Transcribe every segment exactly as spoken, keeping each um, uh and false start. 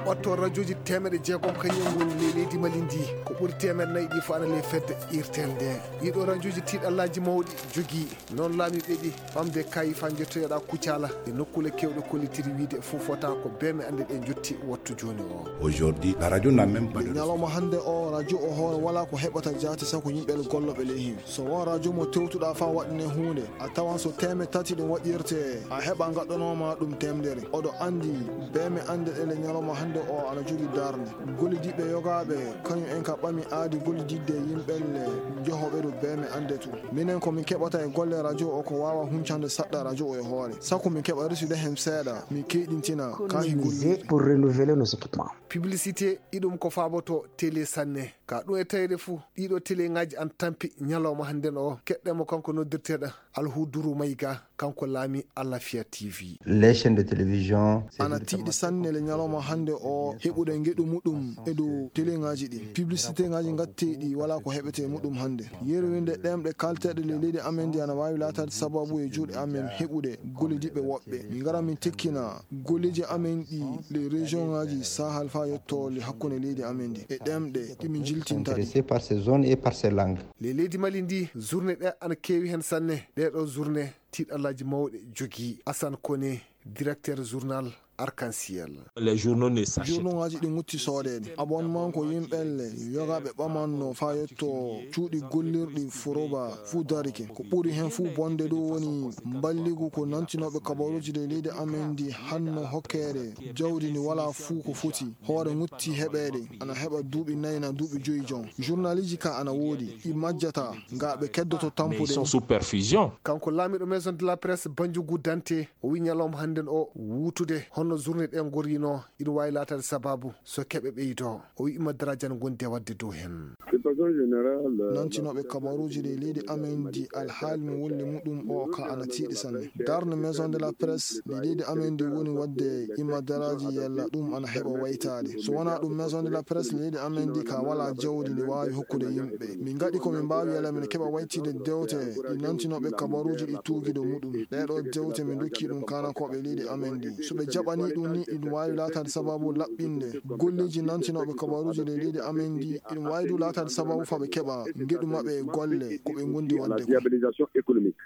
Watto rajooji teemeɗe jeegom kañum en ngoni ley leydi Mali ndi. Ko ɓuri teemeɗe nayi ɗi fof ana ley fedde irtel nde. Ɗiɗo rajooji tiiɗallaaji mawɗi jogii. Noon laamiiɓe ɗi ɓamde kaayi faa njettoyoɗaa Kucala e nokkuule keewɗe kollitiri wiyde fof fota ko beeme annde ɗe njotti wattu jooni o. Aujourd'hui, la radio n'a même pas de... Ñalawma hannde o, radio o hoore walaa ko heɓata jaati saku yimɓe gollooɓe ley heen. So won radio mo tewtuɗaa faa waɗane huunde, a tawan so teeme tati ɗum waɗirte, a heɓa gaɗɗanooma ɗum teemedere. Oɗo anndi, beeme annde ɗe le ñalawma hannde o ana jogii darnde. Gollidiiɓe yogaaɓe, kañum en ka ɓami aadi gollididde yimɓe le njohoɓe ɗo beeme annde to. Minen ko min keɓata e golle radio o ko waawa huncande saɗɗa radio o e hoore. Saku min keɓa resude heen seeɗa, min keyɗintina ka hi gollirde. Pour renouveler nos équipements. Publicité, iɗum ko faaboto télé sanne. Ka ɗum e tawde fuu, ɗiɗo téléŋaaji an tampi ñalawma hannden o, keɗɗen mo kanko noddirteeɗo Alhuduru Mayga, kanko laami Alafia T V. Les chaînes de télévision, c'est... Ana tiiɗi sanne le ñalawma hannde o heɓude ngeɗu muɗum e dow téléŋaaji ɗi. Publicitéŋaaji ngatteeɗi walaa ko heɓetee muɗum hannde. Yerwinde ɗemɗe kalteeɗe le leydi amen ndi ana waawi laataade sababu e juuɗe amen heɓude gollidiiɓe woɓɓe. Min ngara min tekkina golleeji amen ɗi le région ŋaaji Sahel faa yotto le hakkunde leydi amen ndi e ɗemɗe ɗi min jiltinta ɗi. Intéressés par ces zones et par ces langues. Le leydi Mali ndi, journée ɗe ana keewi heen sanne. Ɗee ɗoo journée, tiiɗallaaji mawɗe jogii. Assane Koné, directeur journal Arc-en-Ciel. Les journaux ne s'achètent. Journaux ŋaaji ɗi ŋutti soodeede. Abonnement ko yimɓe le yogaaɓe ɓamanno faa yotto cuuɗi gollirɗi Foroba fuu darike. Ko ɓuri heen fuu bonde ɗum woni mballigu ko nantinooɓe kabaruuji ɗi leydi amen ndi hanno hokkeede jawdi ndi walaa fuu ko foti. Hoore ŋutti heɓeede ana heɓa duuɓi nayi na duuɓi joyi jon. Journaliji ka ana woodi, ɗi majjata, nga ɓe keddoto tampude. Mais ils sont sous perfusion. Kanko laamiiɗo Maison de la Presse, Banjugu Dante, o wi ñalawma hannden o wuutude honno journée ɗe ngoriino, ina waawi laataade sababu so keɓe ɓeydoo. O wi ima daraajan ngonde waɗde dow heen. De façon générale, euh, nantinooɓe kabaruuji ɗi leydi amen ndi, alhaali mo wolli muɗum o ka ana tiiɗi sanne. Darnde Maison de la Presse ndi leydi amen ndi woni waɗde ima daraaji yalla ɗum ana heɓa waytaade. So wonaa ɗum, Maison de la Presse leydi amen ndi ka walaa jawdi ndi waawi hokkude yimɓe. Min ngaɗi ko min mbaawi yalla min keɓa waytide dewte ɗi nantinooɓe kabaruuji ɗi tuugido muɗum. Ɗee ɗoo dewte min ndokki ɗum kaanakooɓe leydi amen ndi. So ɓe jaɓanii ɗum ni, ɗum waawi laataade sababu laɓɓinde golleeji nantinooɓe kabaruuji ɗi leydi amen ndi. Ɗum waawi du laataade sababu faa ɓe keɓa ngeɗu maɓɓe e golle ko ɓe ngondi waɗde ko.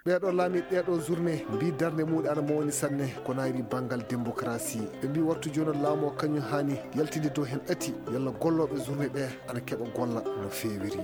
Ɓee ɗoo laamiiɓe ɗee ɗoo journée mbii darnde muɗum ana mawni sanne ko naayri banngal démocratie. Ɓe mbii wattu jooni o laamu o kañum haani yaltinde dow heen ɗati yalla gollooɓe journée ɓee ana keɓa golla no feewiri.